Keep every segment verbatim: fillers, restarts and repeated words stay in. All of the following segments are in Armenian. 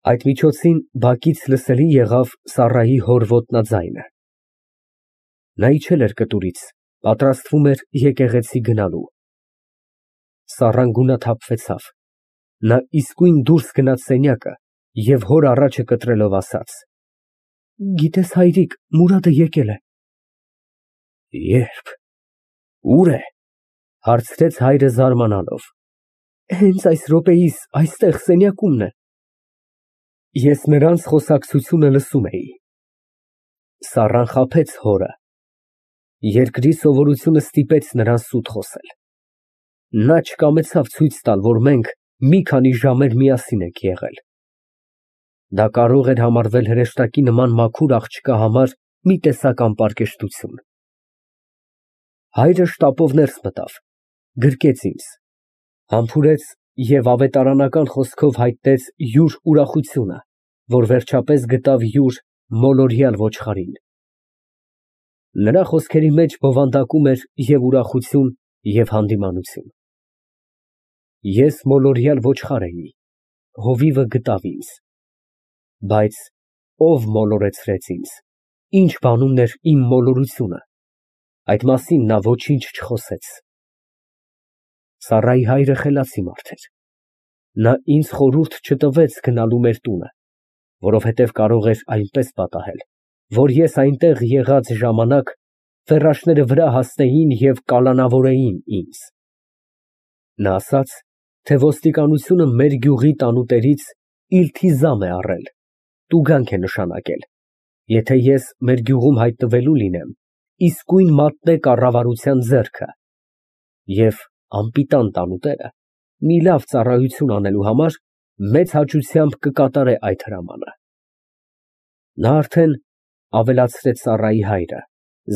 Այդ միջոցին բակից լսելի եղավ Սառայի հոր ոտնաձայնը։ Նա իջել էր կտուրից, պատրաստվում էր եկեղեցի գնալու։ Սառան գունաթափվեցավ, նա իսկույն դուրս գնաց սենյակը և հոր առաջը կտրելով ասաց. «Գիտես, հայրիկ, Մուրադը եկել է»։ Ե՞րբ, ո՞ւր է, հարցրեց հայրը զարմանալով։ Հենց այս րոպեիս այստեղ սենյակումն է։ Ես նրանց խոսակցությունը լսում էի։ Սառան խաբեց հորը։ Երկրի սովորությունը ստիպեց նրան սուտ խոսել։ Նա չկամեցավ ցույց տալ, որ մենք մի քանի ժամեր միասին ենք եղել։ Դա կարող էր համարվել հրեշտակի նման մաքուր աղջկա համար մի տեսակ անպարկեշտություն։ Հայրը շտապով ներս մտավ, գրկեց ինձ, համբուրեց և ավետարանական խոսքով հայտնեց յուր ուրախությունը, որ վերջապես գտավ յուր մոլորյալ ոչխարին։ Նրա խոսքերի մեջ բովանդակում էր և ուրախություն, և հանդիմանություն։ Ես մոլորյալ ոչխար էի, հովիվը գտավ ինձ։ Բայց ով մոլորեցրեց ինձ, ինչ բանումն էր իմ մոլորությունը, այդ մասին նա ոչինչ չխոսեց։ Սառայի հայրը խելացի մարդ էր։ Նա ինձ խորհուրդ չտվեց գնալու մեր տունը, որովհետև կարող էր այնպես պատահել, որ ես այնտեղ եղած ժամանակ ֆեռաշները վրա հասնեին և կալանավորեին ինձ։ Նա ասաց, թե ոստիկանությունը մեր գյուղի տանուտերից իլթիզամ է առել, տուգանք է նշանակել, եթե ես մեր գյուղում հայտնվելու լինեմ, իսկույն մատնե կառավարության ձեռքը, և անպիտան տանուտերը մի լավ ծառայություն անելու համար մեծ հաճությամբ կկատարե այդ հրամանը։ Նա արդեն, ավելացրեց Սառայի հայրը,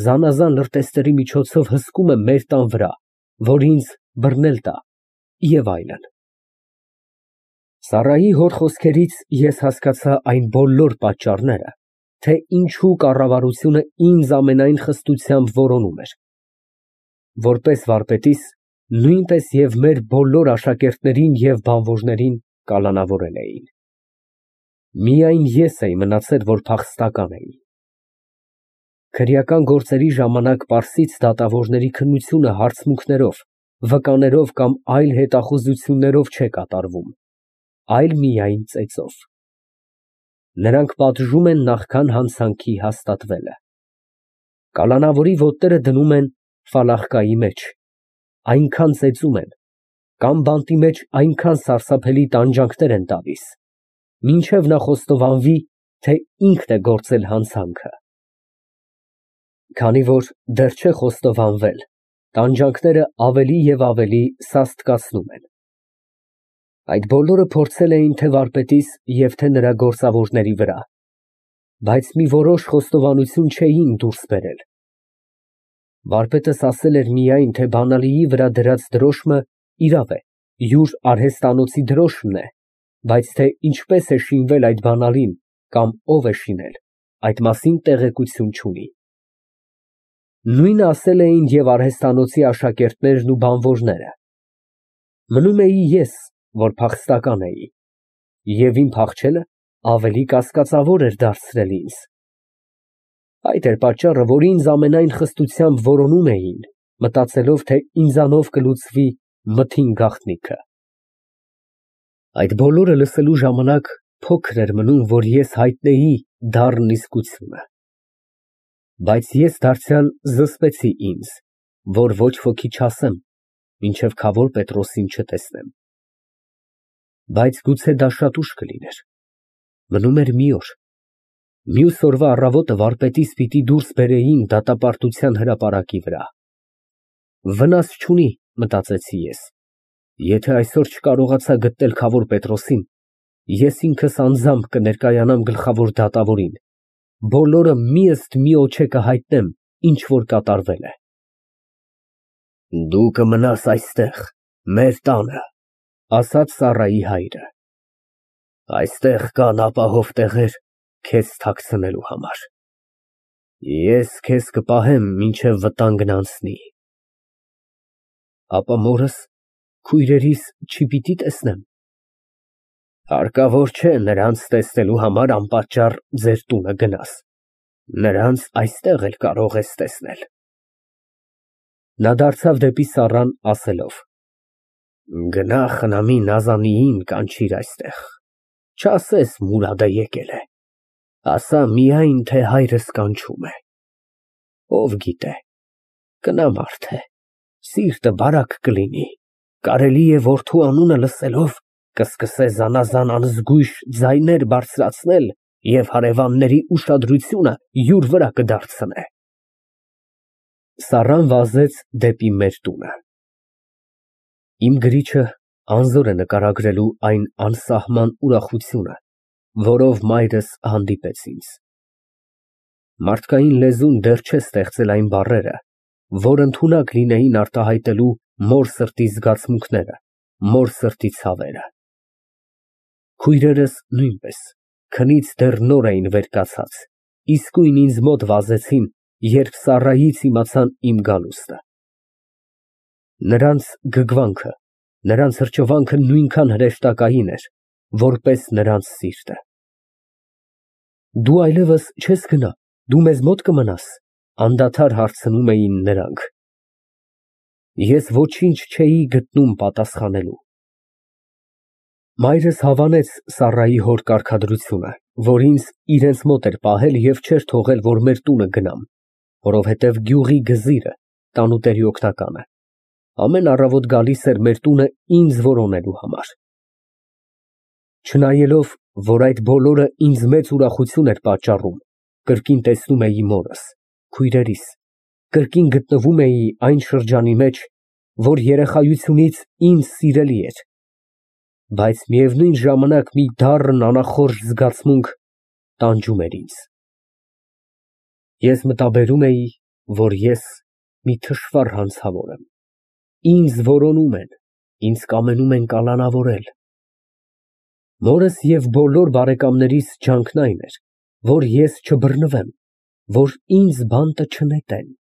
զանազան լրտեսների միջոցով հսկում է մեր տան վրա, որ ինձ բռնել տա և այլն։ Սառայի հոր խոսքերից ես հասկացա այն բոլոր պատճառները, թե ինչու կառավարությունը ինձ ամենայն խստությամբ որոնում էր։ Որպես վարպետիս, նույնպես և մեր բոլոր աշակերտներին և բանվոժներին կալանավորել էին։ Միայն ես էի մնացել, որ փախստական էի։ Քրեական գործերի ժամանակ պարսից դատավորների քննությունը հարցմունքներով, վկաներով կամ այլ հետախուզություններով չէ կատարվում, այլ միայն ծեծով։ Նրանք պատժում են նախքան հանցանքի հաստատվելը։ Կալանավորի ոտները դնում են ֆալախկայի մեջ, այնքան ծեծում են, կամ բանտի մեջ այնքան սարսափելի տանջանքներ են տալիս, մինչև նա խոստովանվի, թե ինքն է գործել հանցանքը։ Քանի որ դեռ չէ խոստովանվել, տանջանքները ավելի և ավելի սաստկացնում են։ Այդ բոլորը փորձել էին թե վարպետիս և թե նրա գործավորների վրա, բայց մի որոշ խոստովանություն չէին դուրս բերել։ Վարպետս ասել էր միայն, թե բանալիի վրա դրած դրոշմը իրավ է, յուր արհեստանոցի դրոշմն է, բայց թե ինչպես է շինվել այդ բանալին կամ ով է շինել, այդ մասին տեղեկություն չունի։ Նույնը ասել էին և արհեստանոցի աշակերտներն ու բանվորները։ Մնում էի ես, որ փախստական էի, և իմ փախչելը ավելի կասկածավոր էր դարձրել ինձ։ Այդ էր պատճառը, որ ինձ ամենայն խստությամբ որոնում էին, մտածելով, թե ինձանով կլուծվի մթին գաղտնիքը։ Այդ բոլորը լսելու ժամանակ փոքր էր մնում, որ ես հայտնեի դառն իսկությունը։ Բայց ես դարձյալ զսպեցի ինձ, որ ոչ ոքի չասեմ, մինչև Քավոր Պետրոսին չտեսնեմ։ Բայց գուցե դա շատ ուշ կլիներ։ Մնում էր մի օր։ Մյուս օրվա առավոտը վարպետիս պիտի դուրս բերեին դատապարտության հրապարակի վրա։ Վնաս չունի, մտածեցի ես, եթե այսօր չկարողացա գտնել Քավոր Պետրոսին, ես ինքս անձամբ կներկայանամ գլխավոր դատավորին, բոլորը մի ըստ միոջե կհայտնեմ, ինչ որ կատարվել է։ Դու կմնաս այստեղ, մեր տանը, ասաց Սառայի հայրը։ Այստեղ կան ապահով տեղեր քեզ թաքցնելու համար։ Ես քեզ կպահեմ, մինչև վտանգն անցնի։ Ապա մորս, քույրերիս չպիտի տեսնե՞մ։ Հարկավոր չէ նրանց տեսնելու համար անպատճառ ձեր տունը գնաս, նրանց այստեղ էլ կարող ես տեսնել։ Նա դարձավ դեպի Սառան, ասելով. Գնա խնամի Նազանիին կանչիր այստեղ, չասես Մուրադը եկել է, ասա միայն, թե հայրս կանչում է, ով գիտե, կնամարդ է, սիրտը բարակ կլինի, կարելի է որդու անունը լսելով կսկսե զանազան անզգույշ ձայներ բարձրացնել և հարևանների ուշադրությունը յուր վրա կդարձնե։ Սառան վազեց դեպի մեր տունը։ Իմ գրիչը անզոր է նկարագրելու այն անսահման ուրախությունը, որով մայրս հանդիպեց ինձ։ Մարդկային լեզուն դեռ չէ ստեղծել այն բառերը, որ ընդունակ լինեին արտահայտելու մոր սրտի զգացմունքները, մոր սրտի ցավերը։ Քույրերս նույնպես քնից դեռ նոր էին վեր կացած, իսկույն ինձ մոտ վազեցին, երբ Սառայից իմացան իմ գալուստը։ Նրանց գգվանքը, նրանց հրճվանքը նույնքան հրեշտակային էր, որպես նրանց սիրտը։ Դու այլևս չես գնա, դու մեզ մոտ կմնաս, անդադար հարցնում էին նրանք։ Ես ոչինչ չէի գտնում պատասխանելու։ Մայրս հավանեց Սառայի հոր կարգադրությունը, որ ինձ իրենց մոտ էր պահել և չէր թողել, որ մեր տունը գնամ, որովհետև գյուղի գզիրը, տանուտերի օգնականը, ամեն առավոտ գալիս էր մեր տունը ինձ որոնելու համար։ Չնայելով, որ այդ բոլորը ինձ մեծ ուրախություն էր պատճառում, կրկին տեսնում էի մորս, քույրերիս, կրկին գտնվում էի այն շրջանի մեջ, որ երեխայությունից ինձ սիրելի էր, բայց միևնույն ժամանակ մի դառն անախորժ զգացմունք տանջում էր ինձ։ Ես մտաբերում էի, որ ես մի թշվառ հանցավոր եմ, ինձ որոնում են, ինձ կամենում են կալանավորել։ Մորս և բոլոր բարեկամներիս ջանքն այն էր, որ ես չբռնվեմ, որ ինձ բանտը չնետեն։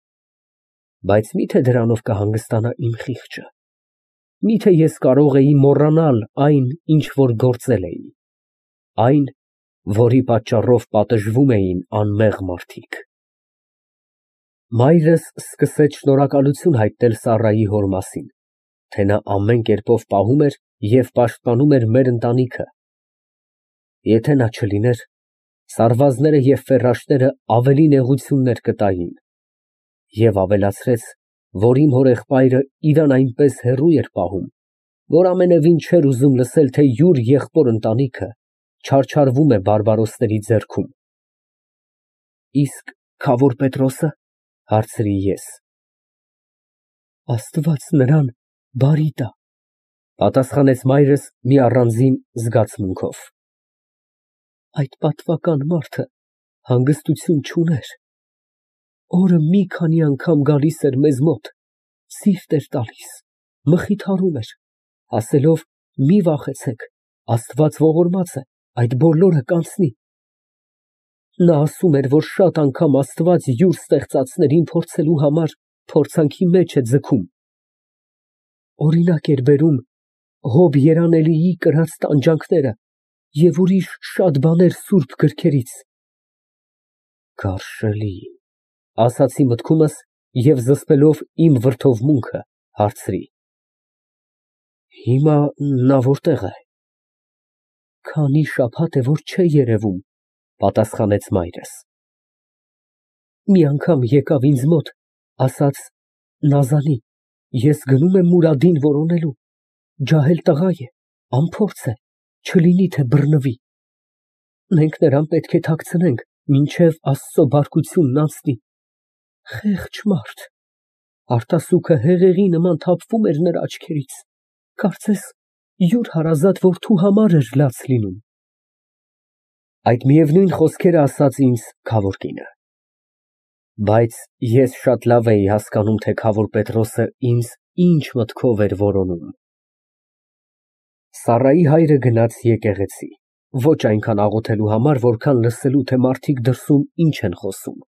Բայց մի՞թե դրանով կհանգստանա իմ խիղճը, մի՞թե ես կարող էի մոռանալ այն, ինչ որ գործել էի, այն, որի պատճառով պատժվում էին անմեղ մարդիկ։ Մայրս սկսեց շնորհակալություն հայտնել Սառայի հոր մասին, թե նա ամեն կերպով պահում էր և պաշտպանում էր մեր ընտանիքը։ Եթե նա չլիներ, սարվազները և ֆեռաշները ավելի նեղություններ կտային, և ավելացրեց, որ իմ հորեղբայրը իրան այնպես հեռու էր պահում, որ ամենևին չէր ուզում լսել, թե յուր եղբոր ընտանիքը չարչարվում է բարբարոսների ձեռքում։ Իսկ քավոր Պետրոսը, հարցրի ես։ Աստված նրան բարի տա, պատասխանեց մայրս մի առանձին զգացմունքով։ Այդ պատվական մարդը հանգստություն չուներ, օրը մի քանի անգամ գալիս էր մեզ մոտ, սիրտ էր տալիս, մխիթարում էր, ասելով մի վախեցեք, Աստված ողորմած է, այդ բոլորը կանցնի։ Նա ասում էր, որ շատ անգամ Աստված յուր ստեղծածներին փորձելու համար փորձանքի մեջ է ձգում։ Օրինակ էր բերում Հոբ երանելիի կրած տանջանքները և ուրիշ շատ բաներ սուրբ գրքերից։ Գարշելի, ասացի մտքումս և զսպելով իմ վրդովմունքը, հարցրի. Հիմա նա որտե՞ղ է։ Քանի շաբաթ է, որ չէ երևում, պատասխանեց մայրս։ Մի անգամ եկավ ինձ մոտ, ասաց. Նազանի, ես գնում եմ Մուրադին որոնելու, ջահել տղա է, անփորձ է, չլինի թե բռնվի։ Մենք նրան պետք է թաքցնենք, մինչև Աստծո բարկությունն անցնի։ Խեղճ մարդ, արտասուքը հեղեղի նման թափվում էր նրա աչքերից, կարծես յուր հարազատ որդու համար էր լաց լինում։ Այդ միևնույն խոսքերը ասաց ինձ քավոր կինը։ Բայց ես շատ լավ էի հասկանում, թե քավոր Պետրոսը ինձ ինչ մտքով էր որոնում։ Սառայի հայրը գնաց եկեղեցի, ոչ այնքան աղոթելու համար, որքան լսելու, թե մարդիկ դրսում ինչ են խոսում։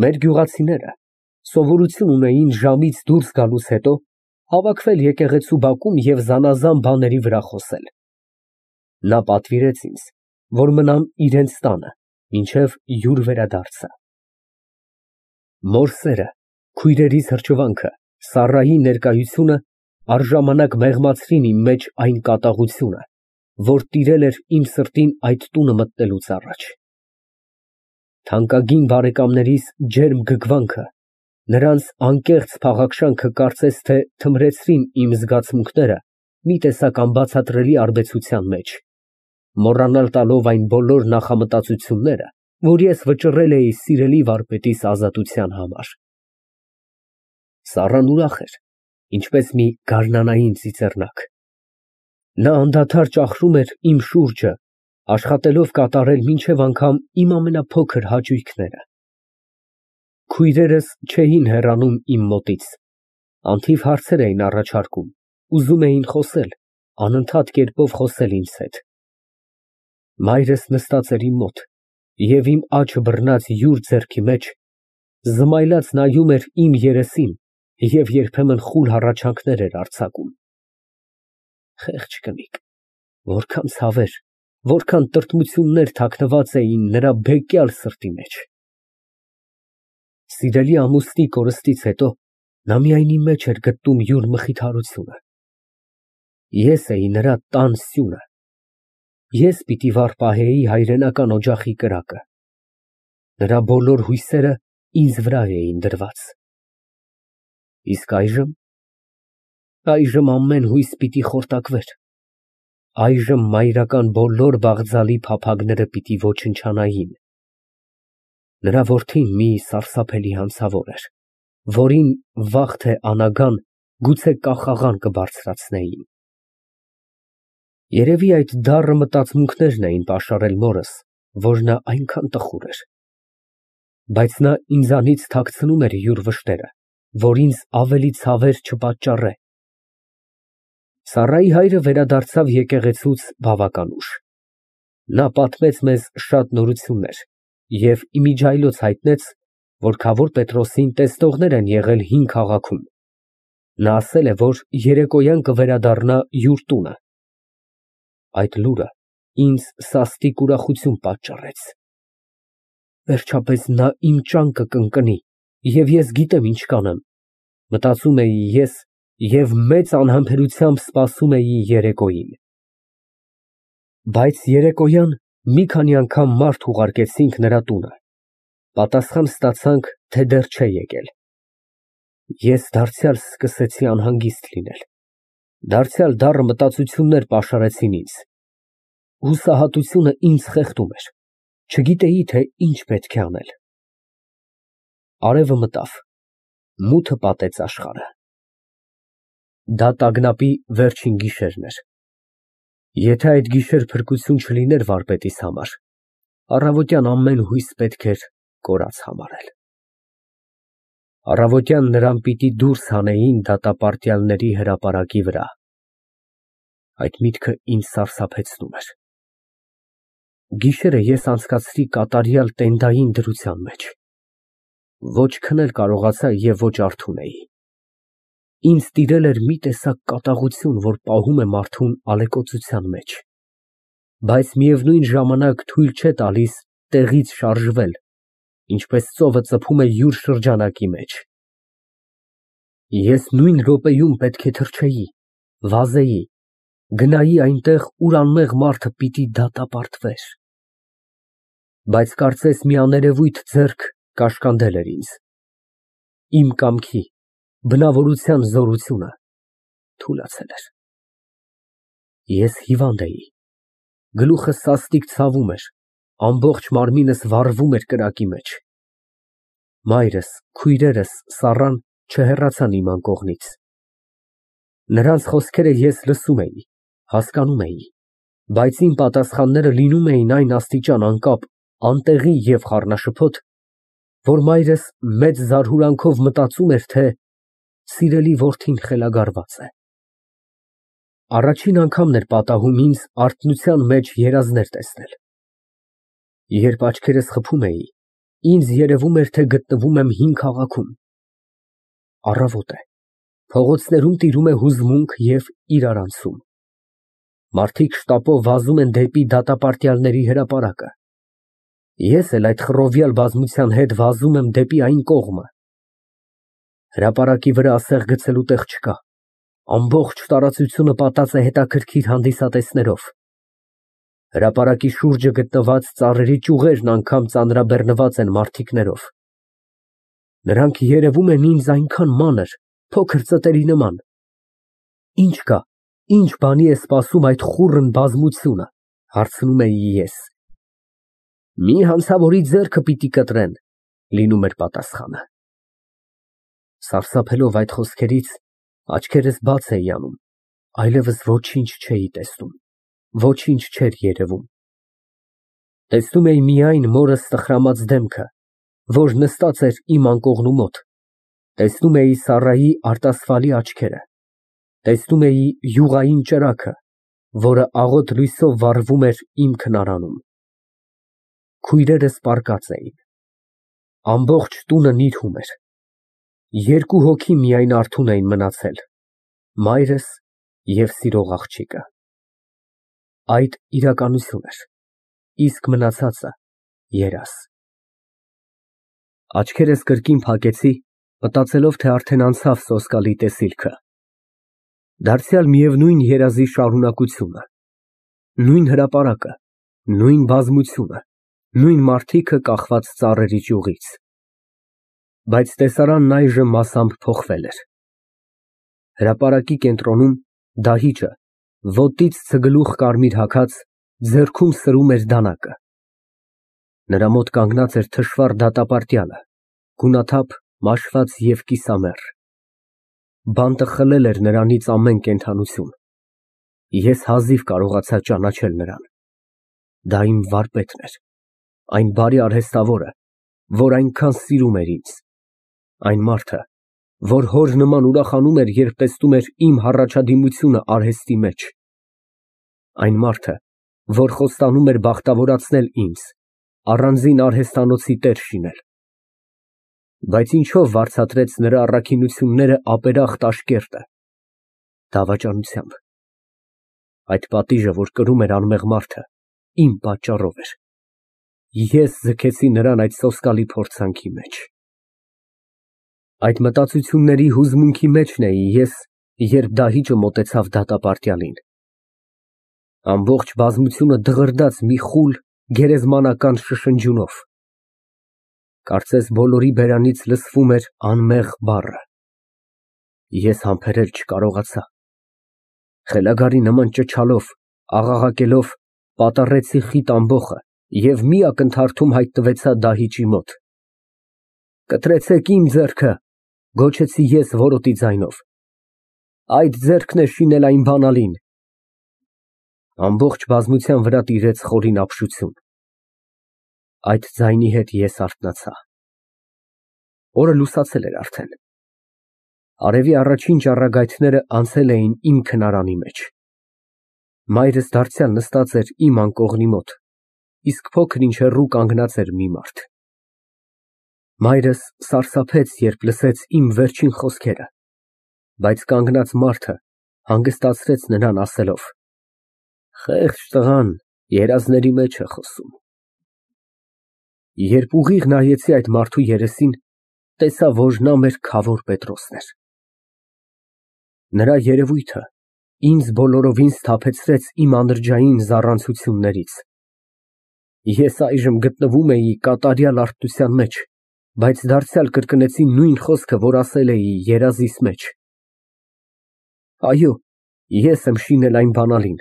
Մեր գյուղացիները սովորություն ունեին ժամից դուրս գալուց հետո հավաքվել եկեղեցու բակում և զանազան բաների վրա խոսել։ Նա պատվիրեց ինձ, որ մնամ իրենց տանը, մինչև յուր վերադարձը։ Մոր սերը, քույրերիս հրճվանքը, Սառայի ներկայությունը առժամանակ մեղմացրին իմ մեջ այն կատաղությունը, որ տիրել էր իմ սրտին այդ տունը մտնելուց առաջ։ Թանկագին բարեկամներիս ջերմ գգվանքը, նրանց անկեղծ փաղաքշանքը կարծես թե թմրեցրին իմ զգացմունքները մի տեսակ անբացատրելի արբեցության մեջ, մոռանալ տալով այն բոլոր նախամտածությունները, որ ես վճռել էի սիրելի վարպետիս ազատության համար։ Սառան ուրախ էր, ինչպես մի գարնանային ծիծեռնակ։ Նա անդադար ճախրում էր իմ շուրջը, աշխատելով կատարել մինչև անգամ իմ ամենափոքր հաճույքները։ Քույրերս չէին հեռանում իմ մոտից, անթիվ հարցեր էին առաջարկում, ուզում էին խոսել, անընդհատ կերպով խոսել ինձ հետ։ Մայրս նստած էր իմ մոտ և իմ աջ բռնած յուր ձեռքի մեջ զմայլած նայում էր իմ երեսին և երբեմն խուլ հառաչանքներ էր արձակում։ Խեղճ կնիկ, որքան ցավեր, որքան տրտմություններ թաքնված էին նրա բեկյալ սրտի մեջ։ Սիրելի ամուսնի կորստից հետո նա միայն իմ մեջ էր գտնում յուր մխիթարությունը։ Ես էի նրա տան սյունը, ես պիտի վառպահեի հայրենական օջախի կրակը։ Նրա բոլոր հույսերը ինձ վրա էին դրված։ Իսկ այժմ… այժմ ամեն հույս պիտի խորտակվեր, այժմ մայրական բոլոր բաղձալի փափագները պիտի ոչնչանային։ Նրա որդին մի սարսափելի հանցավոր էր, որին վաղ թե անագան գուցե կախաղան կբարձրացնեին։ Երևի այդ դառը մտածմունքներն էին պաշարել մորս, որ նա այնքան տխուր էր։ Բայց նա ինձանից թաքցնում էր յուր վշտերը, որ ինձ ավելի ցավեր չպատճառե։ Սառայի հայրը վերադարձավ եկեղեցուց բավական ուշ։ Նա պատմեց մեզ շատ նորություններ և իմիջիայլոց հայտնեց, որ Քավոր Պետրոսին տեսնողներ են եղել հին քաղաքում։ Նա ասել է, որ երեկոյան կվերադառնա յուր տունը։ Այդ լուրը ինձ սաստիկ ուրախություն պատճառեց։ Վերջապես նա իմ ճանկը կընկնի, և ես գիտեմ ինչ կանեմ, մտածում էի ես և մեծ անհամբերությամբ սպասում էի երեկոյին։ Բայց երեկոյան մի քանի անգամ մարդ ուղարկեցինք նրա տունը, պատասխան ստացանք, թե դեռ չէ եկել։ Ես դարձյալ սկսեցի անհանգիստ լինել, դարձյալ դառը մտածություններ պաշարեցին ինձ։ Հուսահատությունը ինձ խեղդում էր, չգիտեի, թե ինչ պետք է անել։ Արևը մտավ, մութը պատեց աշխարհը։ Դա տագնապի վերջին գիշերն էր։ Եթե այդ գիշեր փրկություն չլիներ վարպետիս համար, առավոտյան ամեն հույս պետք էր կորած համարել։ Առավոտյան նրան պիտի դուրս հանեին դատապարտյալների հրապարակի վրա։ Այդ միտքը ինձ սարսափեցնում էր։ Գիշերը ես անցկացրի կատարյալ տենդային դրության մեջ։ Ոչ քնել կարողացա և ոչ արթուն էի։ Ինձ տիրել էր մի տեսակ կատաղություն, որ պահում է մարդուն ալեկոծության մեջ, բայց միևնույն ժամանակ թույլ չէ տալիս տեղից շարժվել, ինչպես ծովը ծփում է յուր շրջանակի մեջ։ Ես նույն րոպեում պետք է թռչեի, վազեի, գնայի այնտեղ, ուր անմեղ մարդը պիտի դատապարտվեր։ Բայց կարծես մի աներևույթ ձեռք կաշկանդել էր ինձ։ Իմ կամքի, բնավորության զորությունը թուլացել էր։ Ես հիվանդ էի, գլուխս սաստիկ ցավում էր, ամբողջ մարմինս վառվում էր կրակի մեջ։ Մայրս, քույրերս, Սառան չհեռացան իմ անկողնից։ Նրանց խոսքերը ես լսում էի, հասկանում էի, բայց իմ պատասխանները լինում էին այն աստիճան անկապ, անտեղի և խառնաշփոթ, որ մայրս մեծ զարհուրանքով մտածում էր, թե սիրելի որդին խելագարված է։ Առաջին անգամն էր պատահում ինձ արթնության մեջ երազներ տեսնել։ Երբ աչքերս խփում էի, ինձ երևում էր, թե գտնվում եմ հին քաղաքում։ Առավոտ է, փողոցներում տիրում է հուզմունք և իրարանցում։ Մարդիկ շտապով վազում են դեպի դատապարտյալների հրապարակը։ Ես էլ այդ խռովյալ բազմության հետ վազում եմ դեպի այն կողմը։ Հրապարակի վրա ասեղ գցելու տեղ չկա։ Ամբողջ տարածությունը պատած է հետաքրքիր հանդիսատեսներով։ Հրապարակի շուրջը գտնված ծառերի ճյուղերն անգամ ծանրաբեռնված են մարդիկներով։ Նրանք երևում են ինձ այնքան մանր, փոքր ծտերի նման։ Ի՞նչ կա, ինչ բանի է սպասում այդ խուռն բազմությունը, հարցնում էի ես։ Մի հանցավորի ձեռքը պիտի կտրեն, լինում էր պատասխանը։ Սարսափելով այդ խոսքերից, աչքերս բաց էի անում, այլևս ոչինչ չէի տեսնում, ոչինչ չէր երևում։ Տեսնում էի միայն մորս տխրամած դեմքը, որ նստած էր իմ անկողնու մոտ, տեսնում էի Սառայի արտասվալի աչքերը, տեսնում էի յուղային ճրագը, որը աղոտ լույսով վառվում էր իմ քնարանում։ Քույրերս պառկած էին։ Ամբողջ տունը նիրհում էր։ Երկու հոգի միայն արթուն էին մնացել, մայրս և սիրող աղջիկը։ Այդ իրականություն էր, իսկ մնացածը երազ։ Աչքերս կրկին փակեցի, մտածելով, թե արդեն անցավ սոսկալի տեսիլքը։ Դարձյալ միևնույն երազի շարունակությունը, նույն հրապարակը, նույն բազմությունը, նույն մարդիկը կախված ծառերի ճյուղից։ Բայց տեսարանն այժմ մասամբ փոխվել էր։ Հրապարակի կենտրոնում դահիճը, ոտից ցգլուխ կարմիր հագած, ձեռքում սրում էր դանակը։ Նրա մոտ կանգնած էր թշվառ դատապարտյալը, գունաթափ, մաշված և կիսամեռ։ Բանտը խլել էր նրանից ամեն կենդանություն։ Ես հազիվ կարողացա ճանաչել նրան։ Դա իմ վարպետն էր, այն բարի արհեստավորը, որ այնքան սիրում էր ինձ, այն մարդը, որ հոր նման ուրախանում էր, երբ տեսնում էր իմ հառաջադիմությունը արհեստի մեջ, այն մարդը, որ խոստանում էր բախտավորացնել ինձ, առանձին արհեստանոցի տեր շինել։ Բայց ինչո՞վ վարձատրեց նրա առաքինությունները ապերախտ աշկերտը։ Դավաճանությամբ։ Այդ պատիժը, որ կրում էր անմեղ մարդը, իմ պատճառով էր։ Ես ձգեցի նրան այդ սոսկալի փորձանքի մեջ։ Այդ մտածությունների հուզմունքի մեջն էի ես, երբ դահիճը մոտեցավ դատապարտյալին։ Ամբողջ բազմությունը դղրդաց մի խուլ, գերեզմանական շշնջյունով։ Կարծես բոլորի բերանից լսվում էր անմեղ բառը։ Ես համբերել չկարողացա։ Խելագարի նման ճչալով, աղաղակելով, պատառեցի խիտ ամբոխը և մի ակնթարթում հայտնվեցա դահիճի մոտ։ Կտրեցեք իմ ձեռքը, գոչեցի ես որոտի ձայնով, այդ ձեռքն է շինել այն բանալին։ Ամբողջ բազմության վրա տիրեց խորին ապշություն։ Այդ ձայնի հետ ես արթնացա։ Օրը լուսացել էր արդեն։ Արևի առաջին ճառագայթները անցել էին իմ քնարանի մեջ։ Մայրս դարձյալ նստած էր իմ անկողնի մոտ, իսկ փոքր ինչ հեռու կանգնած էր մի մարդ։ Մայրս սարսափեց, երբ լսեց իմ վերջին խոսքերը, բայց կանգնած մարդը հանգստացրեց նրան, ասելով. Խեղճ տղան երազների մեջ է խոսում։ Երբ ուղիղ նայեցի այդ մարդու երեսին, տեսա, որ նա մեր Քավոր Պետրոսն էր։ Նրա երևույթը ինձ բոլորովին սթափեցրեց իմ անրջային զառանցություններից։ Ես այժմ գտնվում էի կատարյալ արթնության մեջ, բայց դարձյալ կրկնեցի նույն խոսքը, որ ասել էի երազիս մեջ։ Այո, ես եմ շինել այն բանալին։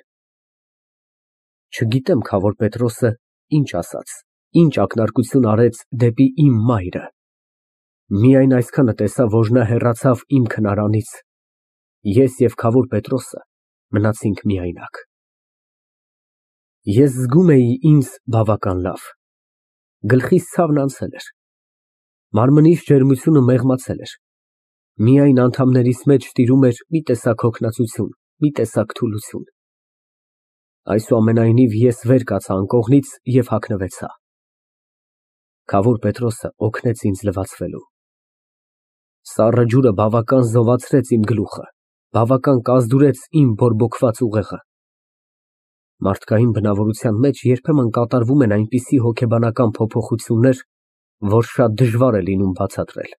Չգիտեմ Քավոր Պետրոսը ինչ ասաց, ինչ ակնարկություն արեց դեպի իմ մայրը։ Միայն այսքանը տեսա, որ նա հեռացավ իմ քնարանից, ես և Քավոր Պետրոսը մնացինք միայնակ։ Ես զգում էի ինձ բավական լավ։ Գլխիս ցավն անցել էր։ Մարմնիս ջերմությունը մեղմացել էր։ Միայն անդամներիս մեջ տիրում էր մի տեսակ հոգնածություն, մի տեսակ թուլություն։ Այսուամենայնիվ ես վեր կացա անկողնից և հագնվեցա։ Քավոր Պետրոսը օգնեց ինձ լվացվելու։ Սառը ջուրը բավական զովացրեց իմ գլուխը, բավական կազդուրեց իմ բորբոքված ուղեղը։ Մարդկային բնավորության մեջ երբեմն կատարվում են այնպիսի հոգեբանական փոփոխություններ, որ շատ դժվար է լինում բացատրել։